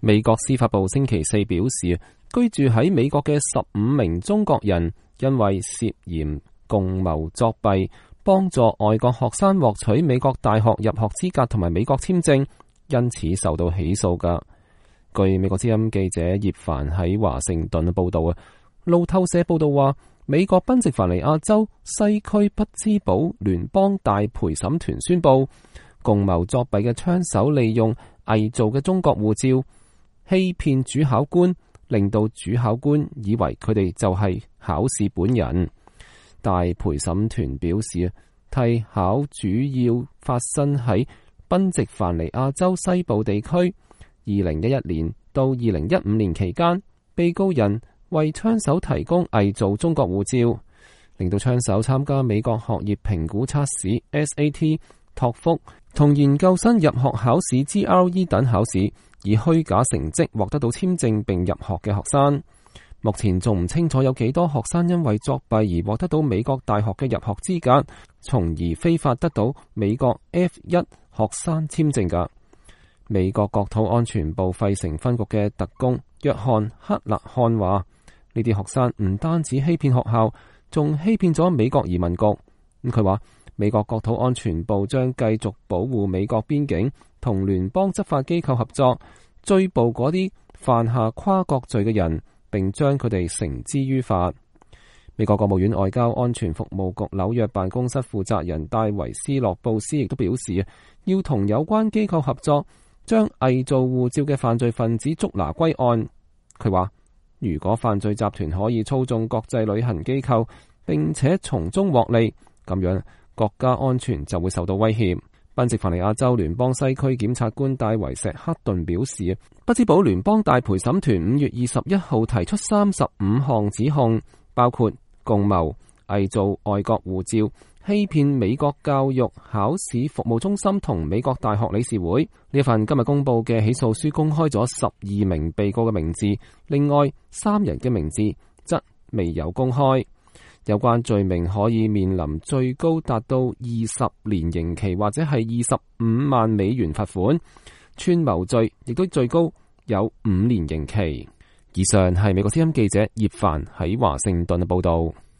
美國司法部星期四表示，居住喺美國嘅15名中國人因為涉嫌共謀作弊，幫助外國學生獲取美國大學入學資格同埋美國簽證，因此受到起訴㗎。據美國之音記者葉凡喺華盛頓報道啊，路透社報道話，美國賓夕凡尼亞州西區匹茲堡聯邦大陪審團宣布，共謀作弊嘅槍手利用偽造嘅中國護照欺騙主考官，令到主考官以為佢哋就係考試本人。大陪審團表示，替考主要發生喺賓夕凡尼亞州西部地區。2011年到2015年期間，被告人為槍手提供偽造中國護照，令到槍手參加美國學業評估測試 SAT、托福同研究生入學考試 GRE 等考試，以虛假成績獲得到簽證並入學嘅學生。目前仲唔清楚有幾多學生因為作弊而獲得到美國大學嘅入學資格，從而非法得到美國 F1 學生簽證㗎。美國國土安全部費城分局嘅特工約翰克勒漢話，呢啲學生唔單止欺騙學校，仲欺騙咗美國移民局。佢話美國國土安全部將繼續保護美國邊境，同聯邦執法機構合作，追捕嗰啲犯下跨國罪嘅人，並將佢哋繩之於法。美國國務院外交安全服務局紐約辦公室負責人戴維斯洛布斯亦都表示，要同有關機構合作，將偽造護照嘅犯罪分子捉拿歸案。佢話，如果犯罪集團可以操縱國際旅行機構，並且從中獲利，咁樣國家安全就會受到威脅。賓夕凡尼亞州聯邦西區檢察官戴維石克頓表示，匹茲堡聯邦大陪審團5月21號提出35項指控，包括共謀、偽造外國護照、欺騙美國教育考試服務中心同美國大學理事會。呢份今日公布嘅起訴書公開咗12名被告嘅名字，另外3人嘅名字則未有公開。有關罪名可以面臨最高達到20年刑期，或者係25萬美元罰款。串謀罪亦都最高有5年刑期。以上係美國之音記者葉凡喺華盛頓嘅報道。